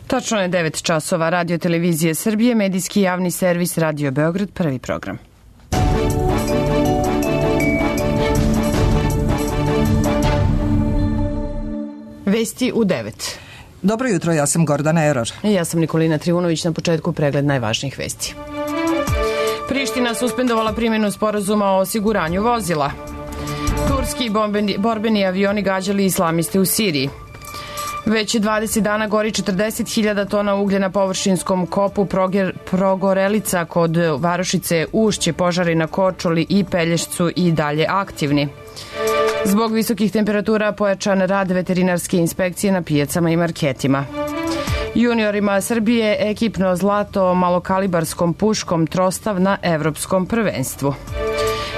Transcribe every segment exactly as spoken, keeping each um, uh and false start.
Tačno je devet časova. Radio televizije Srbije, medijski javni servis Radio Beograd, prvi program. Vesti u devet. Dobro jutro, ja sam Gordana Eror. I ja sam Nikolina Trivunović, na početku pregled najvažnijih vesti. Priština suspendovala primjenu sporazuma o osiguranju vozila. Turski bombeni, borbeni avioni gađali islamiste u Siriji. Već dvadeset dana gori četrdeset hiljada tona uglja na površinskom kopu Proger, Progorelica kod varošice Ušće, požari na Korčuli i Pelješcu i dalje aktivni. Zbog visokih temperatura pojačan rad veterinarske inspekcije na pijacama i marketima. Juniorima Srbije ekipno zlato malokalibarskom puškom Trostav na evropskom prvenstvu.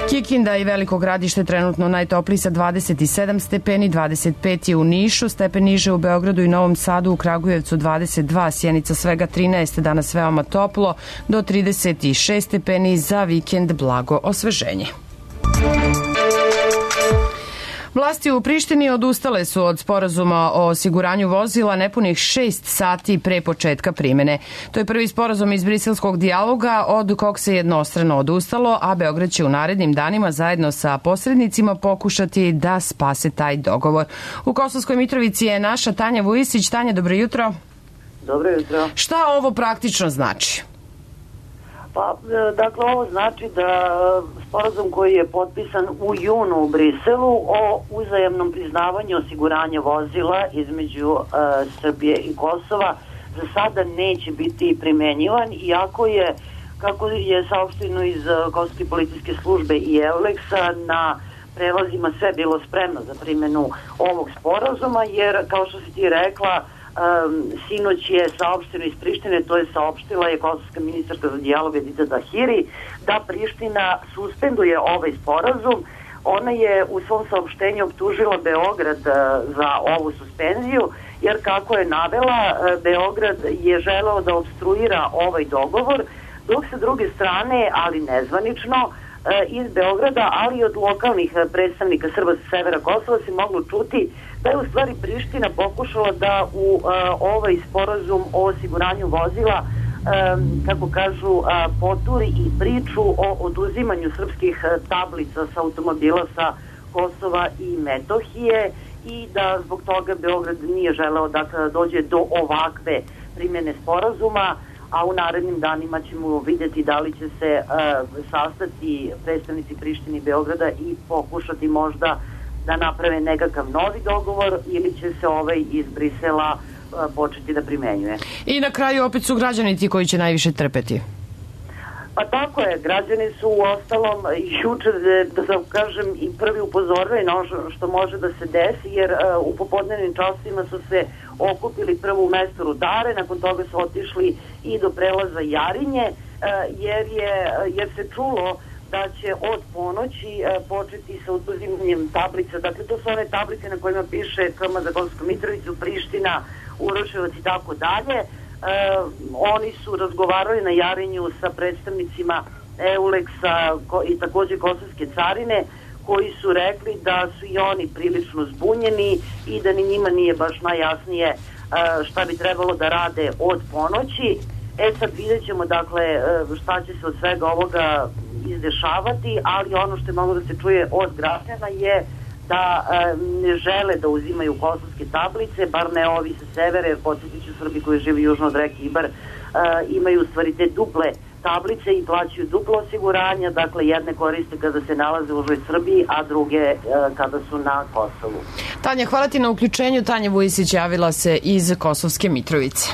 Kikinda i Veliko Gradište trenutno najtopliji sa dvadeset sedam stepeni, dvadeset pet je u Nišu, stepen niže u Beogradu i Novom Sadu, u Kragujevcu dvadeset dva, Sjenica svega trinaest, danas veoma toplo, do trideset šest stepeni, za vikend blago osveženje. Vlasti u Prištini odustale su od sporazuma o osiguranju vozila nepunih šest sati pre početka primene. To je prvi sporazum iz briselskog dijaloga od kog se jednostrano odustalo, a Beograd će u narednim danima zajedno sa posrednicima pokušati da spase taj dogovor. U Kosovskoj Mitrovici je naša Tanja Vujisić. Tanja, dobro jutro. Dobro jutro. Šta ovo praktično znači? Pa, dakle, ovo znači da sporazum koji je potpisan u junu u Briselu o uzajamnom priznavanju osiguranja vozila između uh, Srbije i Kosova za sada neće biti primenjivan, iako je, kako je saopšteno iz uh, Kosovske policijske službe i Euleksa, na prelazima sve bilo spremno za primjenu ovog sporazuma, jer, kao što si ti rekla, Um, sinoć je saopšteno iz Prištine, to je saopštila je kosovska ministarka za dijalog Edita Dahiri, da Priština suspenduje ovaj sporazum. Ona je u svom saopštenju optužila Beograd uh, za ovu suspenziju, jer kako je navela, uh, Beograd je želeo da obstruira ovaj dogovor, dok sa druge strane, ali nezvanično, uh, iz Beograda, ali i od lokalnih uh, predstavnika Srba sa severa Kosova se moglo čuti da je u stvari Priština pokušala da u uh, ovaj sporazum o osiguranju vozila, um, kako kažu, uh, poturi i priču o oduzimanju srpskih uh, tablica sa automobila sa Kosova i Metohije, i da zbog toga Beograd nije želeo da dođe do ovakve primjene sporazuma, a u narednim danima ćemo vidjeti da li će se uh, sastati predstavnici Prištine i Beograda i pokušati možda da naprave nekakav novi dogovor, ili će se ovaj iz Brisela uh, početi da primenjuje. I na kraju opet su građani ti koji će najviše trpeti. Pa tako je, građani su u ostalom jučer, da sam kažem, i prvi upozorili na ono što može da se desi, jer uh, u popodnevnim časovima su se okupili prvo u mestu Rudare, nakon toga su otišli i do prelaza Jarinje, uh, jer, je, jer se čulo da će od ponoći e, početi sa oduzimanjem tablica. Dakle, to su one tablice na kojima piše K M za Kosovsku Mitrovicu, Priština, Uroševac i tako dalje. Oni su razgovarali na Jarinju sa predstavnicima Euleksa i takođe Kosovske carine, koji su rekli da su i oni prilično zbunjeni i da ni njima nije baš najjasnije šta bi trebalo da rade od ponoći. E sad vidjet ćemo, dakle, šta će se od svega ovoga izdešavati, ali ono što je moglo da se čuje od građana je da ne žele da uzimaju kosovske tablice, bar ne ovi sa severa, jer podsjetit ću, Srbi koji žive južno od reke Ibar imaju u stvari te duple tablice i plaćaju duplo osiguranja, dakle jedne koriste kada se nalaze u užoj Srbiji, a druge kada su na Kosovu. Tanja, hvala ti na uključenju. Tanja Vujisić javila se iz Kosovske Mitrovice.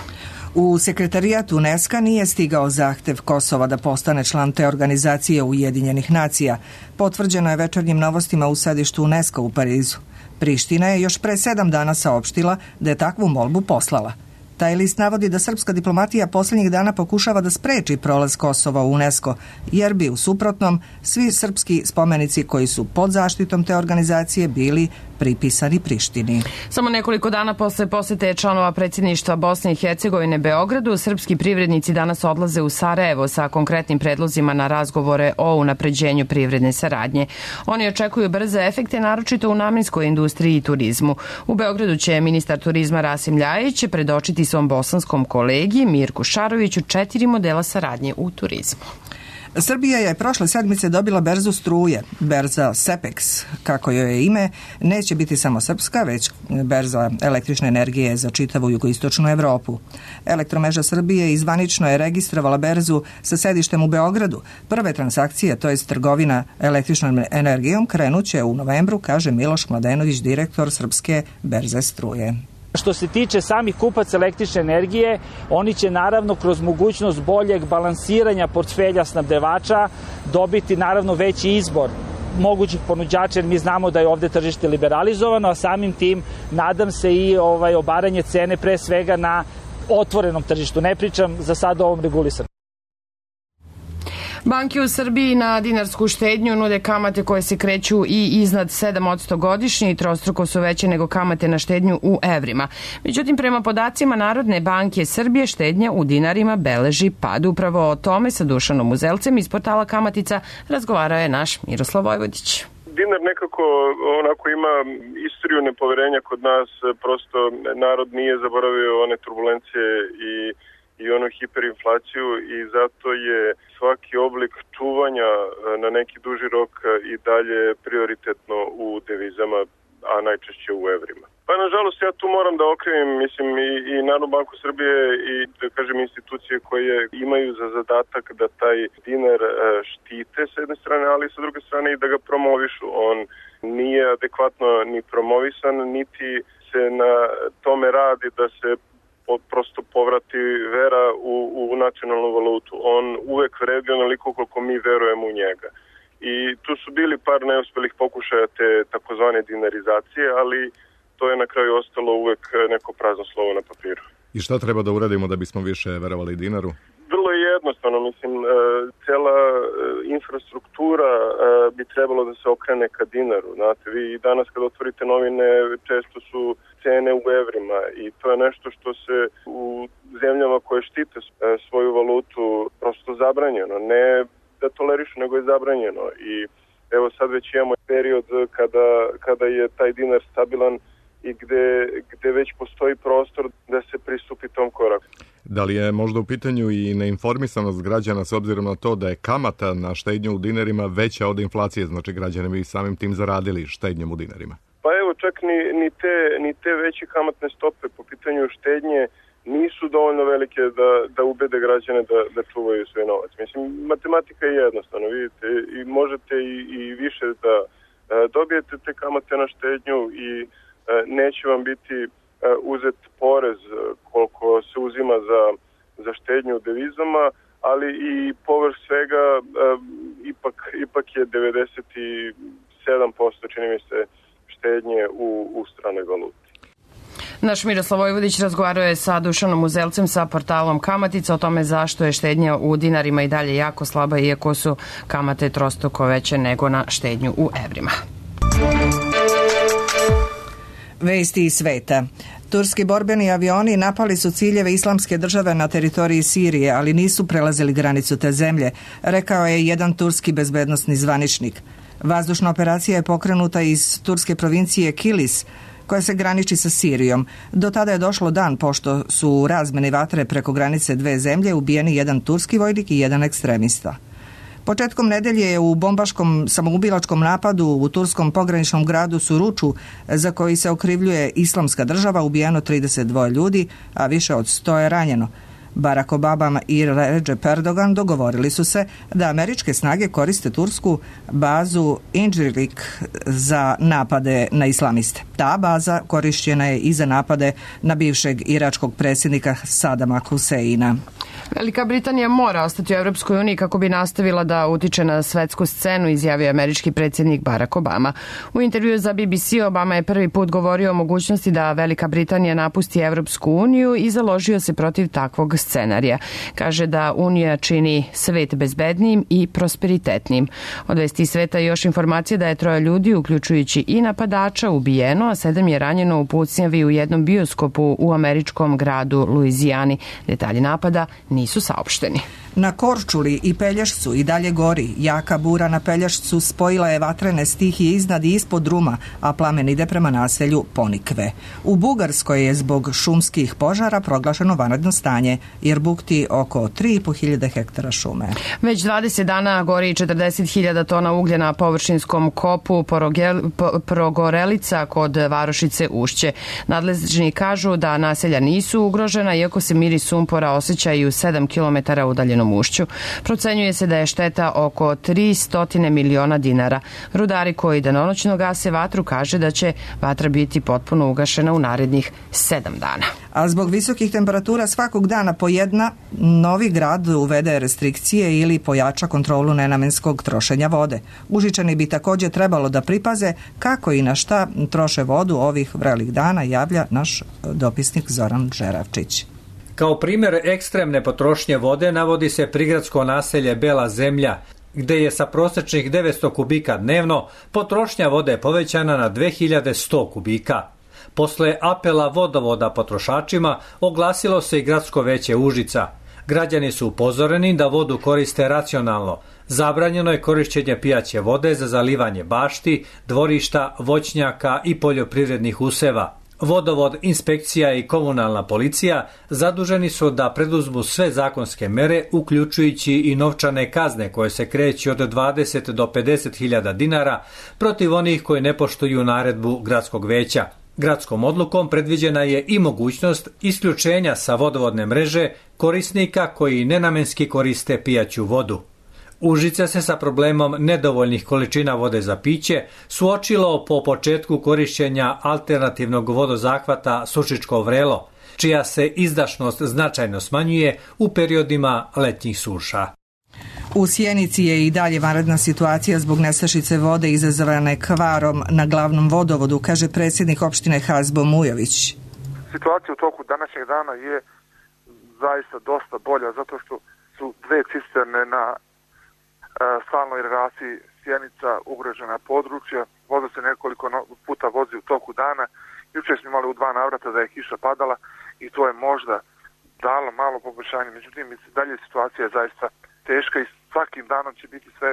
U sekretarijat UNESCO nije stigao zahtev Kosova da postane član te organizacije Ujedinjenih nacija. Potvrđeno je Večernjim novostima u sedištu UNESCO u Parizu. Priština je još pre sedam dana saopštila da je takvu molbu poslala. Taj list navodi da srpska diplomatija poslednjih dana pokušava da spreči prolaz Kosova u UNESCO, jer bi u suprotnom svi srpski spomenici koji su pod zaštitom te organizacije bili pripisani Prištini. Samo nekoliko dana posle posete članova predsjedništva Bosne i Hercegovine Beogradu, srpski privrednici danas odlaze u Sarajevo sa konkretnim predlozima na razgovore o unapređenju privredne saradnje. Oni očekuju brze efekte, naročito u namenskoj industriji i turizmu. U Beogradu će ministar turizma Rasim Ljajić predočiti svom bosanskom kolegi Mirku Šaroviću četiri modela saradnje u turizmu. Srbija je prošle sedmice dobila berzu struje. Berza Sepex, kako joj je ime, neće biti samo srpska, već berza električne energije za čitavu jugoistočnu Evropu. Elektromreža Srbije izvanično je registrovala berzu sa sedištem u Beogradu. Prve transakcije, to jest trgovina električnom energijom, krenuće u novembru, kaže Miloš Mladenović, direktor Srpske berze struje. Što se tiče samih kupaca električne energije, oni će naravno kroz mogućnost boljeg balansiranja portfelja snabdevača dobiti naravno veći izbor mogućih ponuđača, jer mi znamo da je ovde tržište liberalizovano, a samim tim nadam se i ovaj obaranje cene pre svega na otvorenom tržištu. Ne pričam za sad o ovom regulisanju. Banke u Srbiji na dinarsku štednju nude kamate koje se kreću i iznad sedam posto godišnje i trostruko su veće nego kamate na štednju u evrima. Međutim, prema podacima Narodne banke Srbije, štednja u dinarima beleži pad. Upravo o tome sa Dušanom Uzelcem iz portala Kamatica razgovarao je naš Miroslav Vojvodić. Dinar nekako onako ima istoriju nepoverenja kod nas, prosto narod nije zaboravio one turbulencije i i onu hiperinflaciju i zato je svaki oblik čuvanja na neki duži rok i dalje prioritetno u devizama, a najčešće u evrima. Pa nažalost ja tu moram da okrivim, mislim, i, i Narodnu banku Srbije i da kažem institucije koje imaju za zadatak da taj dinar štite s jedne strane, ali sa druge strane i da ga promovišu. On nije adekvatno ni promovisan, niti se na tome radi da se prosto povrati vera u, u nacionalnu valutu. On uvek vredi onoliko koliko mi verujemo u njega. I tu su bili par neuspelih pokušaja te takozvane dinarizacije, ali to je na kraju ostalo uvek neko prazno slovo na papiru. I šta treba da uradimo da bismo više verovali dinaru? Vrlo je jednostavno, mislim, cela infrastruktura bi trebalo da se okrene ka dinaru. Znate, vi danas kad otvorite novine često su cene u evrima i to je nešto što se u zemljama koje štite svoju valutu prosto zabranjeno. Ne da tolerišu, nego je zabranjeno. I evo sad već imamo period kada, kada je taj dinar stabilan i gde, gde već postoji prostor da se pristupi tom koraku. Da li je možda u pitanju i neinformisanost građana s obzirom na to da je kamata na štednju u dinarima veća od inflacije, znači građani bi samim tim zaradili štednjom u dinarima? Pa evo, čak ni, ni, te, ni te veće kamatne stope po pitanju štednje nisu dovoljno velike da, da ubede građane da, da čuvaju svoj novac. Mislim, matematika je jednostavna, vidite, i možete i, i više da e, dobijete te kamate na štednju i e, neće vam biti e, uzet porez koliko se uzima za, za štednju u devizama, ali i povrh svega e, ipak, ipak je devedeset sedam posto čini mi se štednje u, u stranoj valuti. Naš Miroslav Vojvodić razgovarao je sa Dušanom Uzelcem sa portalom Kamatica o tome zašto je štednja u dinarima i dalje jako slaba, iako su kamate trostruko veće nego na štednju u evrima. Vesti iz sveta. Turski borbeni avioni napali su ciljeve Islamske države na teritoriji Sirije, ali nisu prelazili granicu te zemlje, rekao je jedan turski bezbednosni zvaničnik. Vazdušna operacija je pokrenuta iz turske provincije Kilis, koja se graniči sa Sirijom. Do tada je došlo dan pošto su u razmeni vatre preko granice dve zemlje ubijeni jedan turski vojnik i jedan ekstremista. Početkom nedelje je u bombaškom samoubilačkom napadu u turskom pograničnom gradu Suruču, za koji se okrivljuje Islamska država, ubijeno trideset dva ljudi, a više od sto je ranjeno. Barack Obama i Recep Erdogan dogovorili su se da američke snage koriste tursku bazu Incirlik za napade na islamiste. Ta baza korišćena je i za napade na bivšeg iračkog predsjednika Sadama Huseina. Velika Britanija mora ostati u Evropskoj uniji kako bi nastavila da utiče na svetsku scenu, izjavio američki predsjednik Barack Obama. U intervju za B B C Obama je prvi put govorio o mogućnosti da Velika Britanija napusti Evropsku uniju i založio se protiv takvog scenarija. Kaže da Unija čini svet bezbednijim i prosperitetnim. Od vesti sveta je još informacija da je troje ljudi, uključujući i napadača, ubijeno, a sedam je ranjeno u pucnjavi u jednom bioskopu u američkom gradu Luizijani. Detalji napada nisu saopšteni. Na Korčuli i Pelješcu i dalje gori. Jaka bura na Pelješcu spojila je vatrene stihije iznad i ispod Ruma, a plamen ide prema naselju Ponikve. U Bugarskoj je zbog šumskih požara proglašeno vanredno stanje, jer bukti oko tri i po hiljade hektara šume. Već dvadeset dana gori četrdeset hiljada tona uglja na površinskom kopu Progorelica kod Varošice Ušće. Nadležni kažu da naselja nisu ugrožena, iako se miris sumpora osjeća i u sedam kilometara udaljenom Ušću. Procenjuje se da je šteta oko tristo miliona dinara. Rudari koji danonoćno gase vatru kaže da će vatra biti potpuno ugašena u narednih sedam dana. A zbog visokih temperatura svakog dana po jedna, Novi Grad uvede restrikcije ili pojača kontrolu nenamenskog trošenja vode. Užičani bi također trebalo da pripaze kako i na šta troše vodu ovih vrelih dana, javlja naš dopisnik Zoran Žeravčić. Kao primjer ekstremne potrošnje vode navodi se prigradsko naselje Bela Zemlja, gde je sa prosječnih devetsto kubika dnevno potrošnja vode povećana na dve hiljade sto kubika. Posle apela vodovoda potrošačima oglasilo se i gradsko veće Užica. Građani su upozoreni da vodu koriste racionalno. Zabranjeno je korišćenje pijaće vode za zalivanje bašti, dvorišta, voćnjaka i poljoprivrednih useva. Vodovod, inspekcija i komunalna policija zaduženi su da preduzmu sve zakonske mere, uključujući i novčane kazne koje se kreću od dvadeset do pedeset hiljada dinara protiv onih koji ne poštuju naredbu gradskog veća. Gradskom odlukom predviđena je i mogućnost isključenja sa vodovodne mreže korisnika koji nenamenski koriste pijaću vodu. Užice se sa problemom nedovoljnih količina vode za piće suočilo po početku korišćenja alternativnog vodozahvata Sušičko Vrelo, čija se izdašnost značajno smanjuje u periodima letnjih suša. U Sjenici je i dalje vanredna situacija zbog nestašice vode izazvane kvarom na glavnom vodovodu, kaže predsjednik opštine Hazbo Mujović. Situacija u toku današnjeg dana je zaista dosta bolja, zato što su dve cisterne na stalnoj relaciji Sjenica ugrožena područja. Voda se nekoliko puta vozi u toku dana. Jučer smo imali u dva navrata da je kiša padala i to je možda dalo malo poboljšanje. Međutim, dalje situacija je zaista teška i svakim danom će biti sve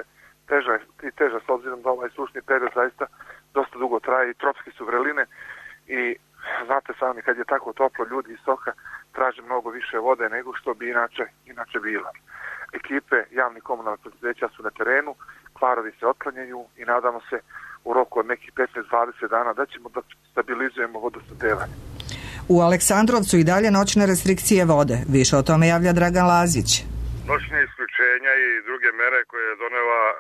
teža i teža s obzirom da ovaj sušni period zaista dosta dugo traje i tropske su vreline i znate sami kad je tako toplo ljudi iz stoka traže mnogo više vode nego što bi inače, inače bila. Ekipe javnih komunalnih preduzeća su na terenu, kvarovi se otklanjaju i nadamo se u roku od nekih petnaest do dvadeset dana da ćemo da stabilizujemo vodosnabdevanje. U Aleksandrovcu i dalje noćne restrikcije vode. Više o tome javlja Dragan Lazić. Noćne isključenja i druge mere koje je donela e,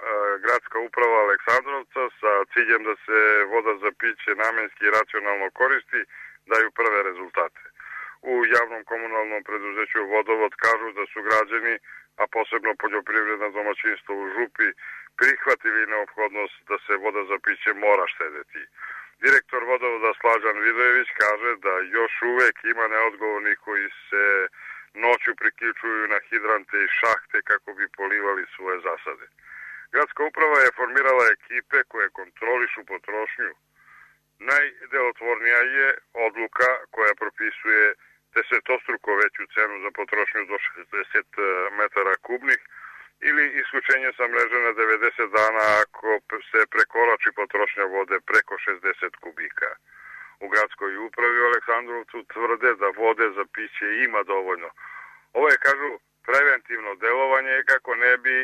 gradska uprava Aleksandrovca sa ciljem da se voda za piće namenski i racionalno koristi daju prve rezultate. U javnom komunalnom preduzeću Vodovod kažu da su građani, a posebno poljoprivredna domaćinstva u Župi, prihvatili neophodnost da se voda za piće mora štedeti. Direktor Vodovoda Slađan Vidojević kaže da još uvek ima neodgovornih koji se noću priključuju na hidrante i šahte kako bi polivali svoje zasade. Gradska uprava je formirala ekipe koje kontrolišu potrošnju. Najdelotvornija je odluka koja propisuje desetostruko veću cenu za potrošnju do šezdeset metara kubnih ili isključenje sa mreže na devedeset dana ako se prekorači potrošnja vode preko šezdeset kubika. U gradskoj upravi u Aleksandrovcu tvrde da vode za piće ima dovoljno. Ovo je, kažu, preventivno delovanje kako ne bi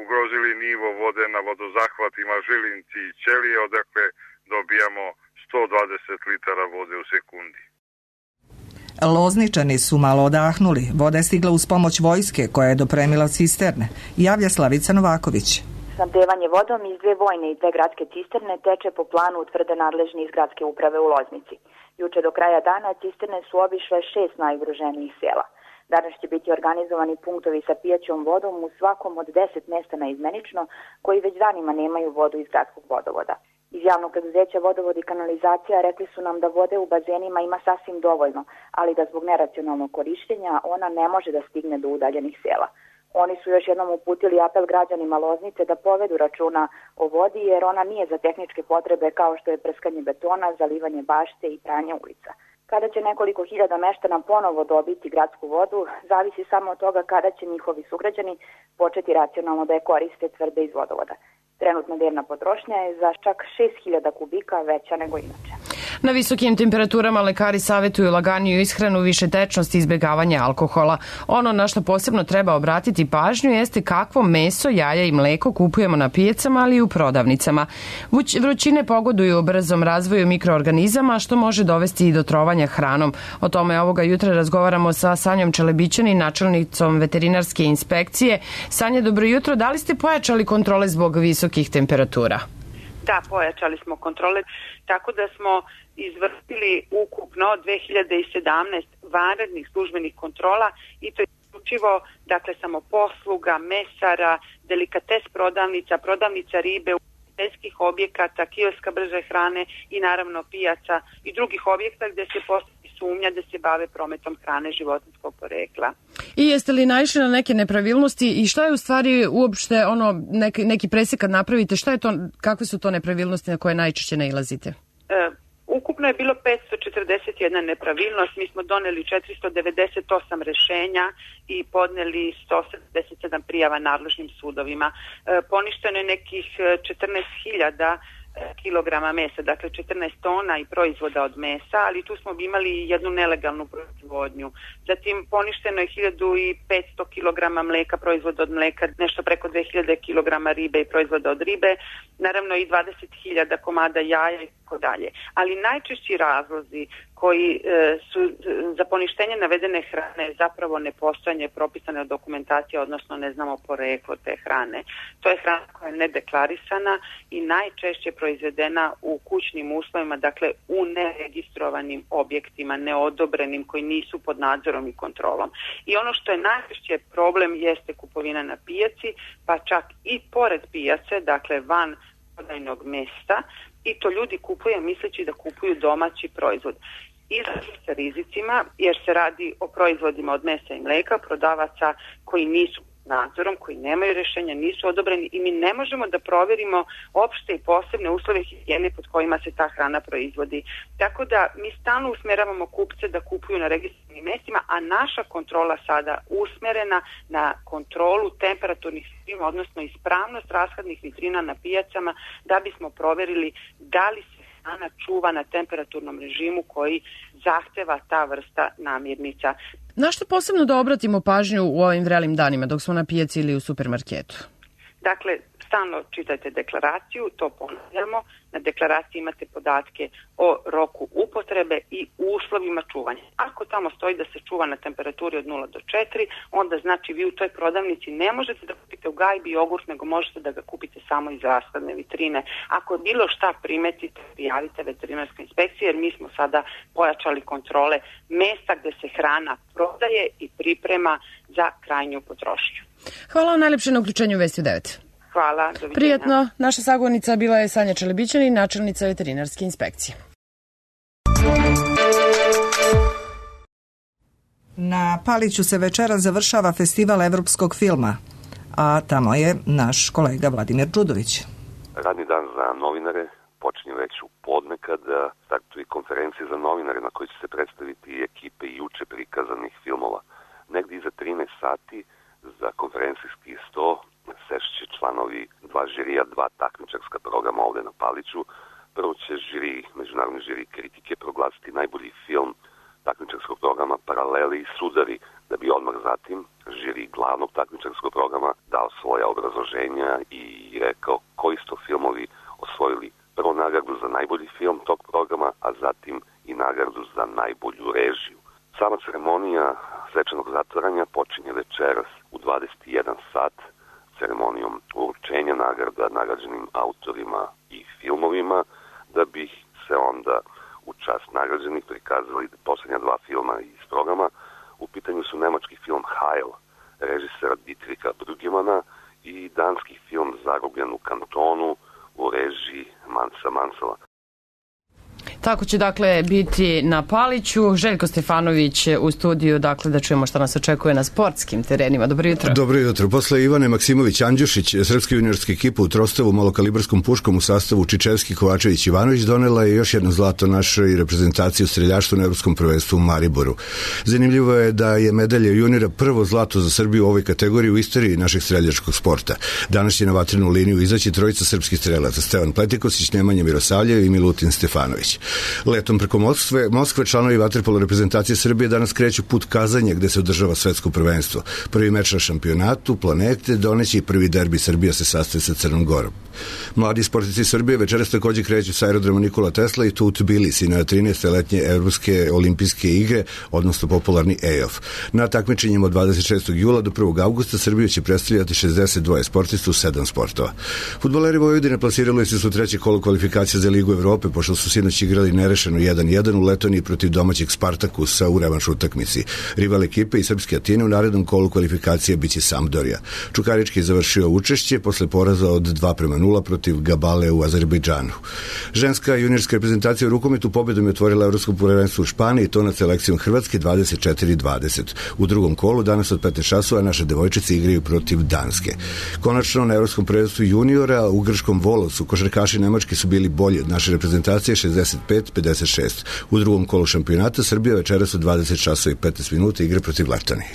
ugrozili nivo vode na vodozahvatima Žilinci i Ćelije, odakle dobijamo sto dvadeset litara vode u sekundi. Lozničani su malo odahnuli. Voda je stigla uz pomoć vojske koja je dopremila cisterne. Javlja Slavica Novaković. Snabdevanje vodom iz dve vojne i dve gradske cisterne teče po planu utvrde nadležni iz gradske uprave u Loznici. Juče do kraja dana cisterne su obišle šest najugroženijih sela. Danas će biti organizovani punktovi sa pijaćom vodom u svakom od deset mesta naizmenično koji već danima nemaju vodu iz gradskog vodovoda. Iz javnog preduzeća Vodovod i kanalizacija rekli su nam da vode u bazenima ima sasvim dovoljno, ali da zbog neracionalnog korištenja ona ne može da stigne do udaljenih sela. Oni su još jednom uputili apel građanima Loznice da povedu računa o vodi jer ona nije za tehničke potrebe kao što je prskanje betona, zalivanje bašte i pranje ulica. Kada će nekoliko hiljada meštana ponovo dobiti gradsku vodu, zavisi samo od toga kada će njihovi sugrađani početi racionalno da je koriste, tvrde iz vodovoda. Trenutna dnevna potrošnja je za čak šest hiljada kubika veća nego inače. Na visokim temperaturama lekari savjetuju laganiju ishranu, više tečnosti i izbjegavanje alkohola. Ono na što posebno treba obratiti pažnju jeste kakvo meso, jaja i mleko kupujemo na pijacama, ali i u prodavnicama. Vrućine pogoduju brzom razvoju mikroorganizama, što može dovesti i do trovanja hranom. O tome ovoga jutra razgovaramo sa Sanjom Čelebićanin, načelnicom veterinarske inspekcije. Sanja, dobro jutro. Da li ste pojačali kontrole zbog visokih temperatura? Da, pojačali smo kontrole, tako da smo izvršili ukupno dve hiljade sedamnaest vanrednih službenih kontrola i to je isključivo, dakle, samo posluga, mesara, delikates prodavnica, prodavnica ribe, ugostiteljskih objekata, kioska brže hrane i naravno pijaca i drugih objekta gde se postoji sumnja da se bave prometom hrane životinjskog porekla. I jeste li naišli na neke nepravilnosti i šta je u stvari uopšte ono neki, neki presek kad napravite, šta je to, kakve su to nepravilnosti na koje najčešće nailazite? E, ukupno je bilo petsto četrdeset jedna nepravilnost, mi smo doneli četiristo devedeset osam rešenja i podneli sto sedamdeset sedam prijava nadležnim sudovima. E, poništeno je nekih četrnaest hiljada kilograma mesa, dakle četrnaest tona i proizvoda od mesa, ali tu smo imali jednu nelegalnu proizvodnju. Zatim poništeno je hiljadu petsto kilograma mleka, proizvoda od mleka, nešto preko dve hiljade kilograma ribe i proizvoda od ribe, naravno i dvadeset hiljada komada jaja i tako dalje. Ali najčešći razlozi koji e, su za poništenje navedene hrane zapravo nepostojanje propisane dokumentacije, odnosno ne znamo poreklo te hrane. To je hrana koja je nedeklarisana i najčešće proizvedena u kućnim uslovima, dakle u neregistrovanim objektima, neodobrenim, koji nisu pod nadzorom i kontrolom. I ono što je najčešće problem jeste kupovina na pijaci, pa čak i pored pijace, dakle van prodajnog mesta, i to ljudi kupuju misleći da kupuju domaći proizvod. Izlažu sa rizicima jer se radi o proizvodima od mesa i mleka, prodavaca koji nisu nadzorom, koji nemaju rešenja, nisu odobreni i mi ne možemo da proverimo opšte i posebne uslove higijene pod kojima se ta hrana proizvodi. Tako da mi stalno usmeravamo kupce da kupuju na registrovanim mestima, a naša kontrola sada usmerena na kontrolu temperaturnih vitrina, odnosno ispravnost rashladnih vitrina na pijacama, da bismo proverili da li se hrana čuva na temperaturnom režimu koji zahteva ta vrsta namirnica. Na što posebno da obratimo pažnju u ovim vrelim danima dok smo na pijaci ili u supermarketu? Dakle, stalno čitajte deklaraciju, to ponavljamo. Na deklaraciji imate podatke o roku upotrebe i uslovima čuvanja. Ako tamo stoji da se čuva na temperaturi od nula do četiri, onda znači vi u toj prodavnici ne možete da kupite u gajbi jogurt, nego možete da ga kupite samo iz rashladne vitrine. Ako bilo šta primetite, prijavite veterinarskoj inspekciji, jer mi smo sada pojačali kontrole mesta gde se hrana prodaje i priprema za krajnju potrošnju. Hvala vam najlepše na uključenju Vesti u devet. Hvala, doviđenja. Prijetno, naša sagovornica bila je Sanja Čelebićanin, načelnica veterinarske inspekcije. Na Paliću se večera završava festival evropskog filma, a tamo je naš kolega Vladimir Đudović. Radni dan za novinare počinje već u podne kada startuje konferencija za novinare na kojoj će se predstaviti ekipe juče prikazanih filmova. Negdje iza trinaest sati za konferencijski sto sešće članovi dva žirija, dva takmičarska programa ovde na Paliću. Prvo će žiri, međunarodni žiri kritike proglasiti najbolji film takmičarskog programa Paraleli i Sudari, da bi odmah zatim žiri glavnog takmičarskog programa dao svoja obrazloženja i rekao koji su to filmovi osvojili prvo nagradu za najbolji film tog programa, a zatim i nagradu za najbolju režiju. Sama ceremonija svečanog zatvaranja počinje večeras u dvadeset jedan sat ceremonijom uručenja nagrada nagrađenim autorima i filmovima, da bi se onda u čast nagrađenih prikazali poslednja dva filma iz programa. U pitanju su nemački film Heil, režisera Dietricha Brüggemana, i danski film Zarobljen u kantonu u režiji Mansa Mansela. Tako će dakle biti na Paliću. Željko Stefanović u studiju, dakle da čujemo šta nas očekuje na sportskim terenima. Dobro jutro. Dobro jutro. Posle Ivane Maksimović-Andjušić, srpska juniorska ekipa u Trostavu malokalibarskom puškom u sastavu Čičevski, Kovačević, Ivanović donela je još jedno zlato našoj reprezentaciji u streljaštvu na Evropskom prvenstvu u Mariboru. Zanimljivo je da je medalja juniora prvo zlato za Srbiju u ovoj kategoriji u istoriji našeg streljačkog sporta. Danas će na vatrenu liniju izaći trojica srpskih strelaca: Stevan Pletikosić, Nemanja Mirosavljev i Milutin Stefanović. Letom preko Moskve, Moskve članovi vaterpolo reprezentacije Srbije danas kreću put Kazanje, gde se održava svetsko prvenstvo. Prvi meč na šampionatu planete doneće i prvi derbi. Srbija se sastaje sa Crnom Gorom. Mladi sportisti Srbije večeras takođe kreću sa aerodroma Nikola Tesla i tu u Tbilisi na trinaeste letnje Evropske olimpijske igre, odnosno popularni E O F. Na takmičenjima od dvadeset šestog jula do prvog avgusta Srbiju će predstavljati šezdeset dva sportista u sedam sportova. Fudbaleri Vojvodine plasirali su su treće kolo kvalifikacija za Ligu Evrope, pošto su sinoć igrali nerešeno jedan jedan u Letoniji protiv domaćeg Spartakusa u revanš utakmici. Rival ekipe i srpske Atine u narednom kolu kvalifikacije biće Sampdoria. Čukarički je završio učešće posle poraza od dva prema nula protiv Gabale u Azerbejdžanu. Ženska juniorska reprezentacija u rukometu pobedom je otvorila evropsko prvenstvo u Španiji, to nad selekcijom Hrvatske dvadeset četiri dvadeset. U drugom kolu danas od petnaest časova naše devojčice igraju protiv Danske. Konačno na evropskom prvenstvu juniora u grčkom Volovcu košarkaši Nemačke su bili bolji od naše reprezentacije šezdeset pet pedeset šest. U drugom kolu šampionata Srbija večeras u dvadeset časova i petnaest minuta igra protiv Letonije.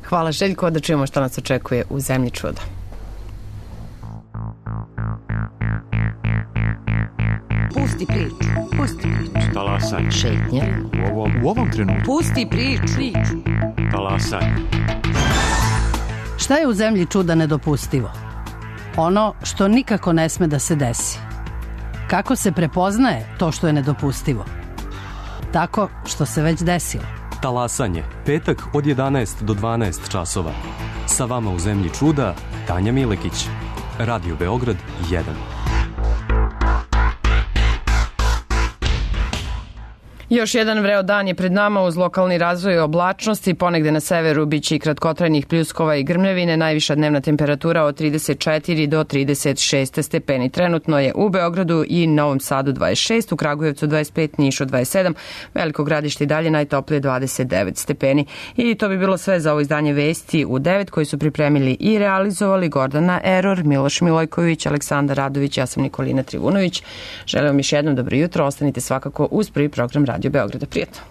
Hvala Željko, da čujemo šta nas očekuje u zemlji čuda. Pusti priču, pusti priču. Talasaj. Šetnja. U ovom, u ovom trenutku. Pusti priču. priču. Talasaj. Šta je u zemlji čuda nedopustivo? Ono što nikako ne sme da se desi. Kako se prepoznaje to što je nedopustivo? Tako što se već desilo. Talasanje, petak od jedanaest do dvanaest časova. Sa vama u zemlji čuda, Tanja Milekić. Radio Beograd jedan. Još jedan vreo dan je pred nama uz lokalni razvoj oblačnosti. Ponegde na severu biće i kratkotrajnih pljuskova i grmljevine. Najviša dnevna temperatura od trideset četiri do trideset šest stepeni. Trenutno je u Beogradu i Novom Sadu dvadeset šest, u Kragujevcu dvadeset pet, Nišu dvadeset sedam, Veliko Gradište i dalje najtoplije dvadeset devet stepeni. I to bi bilo sve za ovo izdanje Vesti u devet koji su pripremili i realizovali Gordana Eror, Miloš Milojković, Aleksandar Radović, ja sam Nikolina Trivunović. Želim vam još jednom dobro jutro. Ostanite svakako uz prvi program Radio Beograda. Prijetno.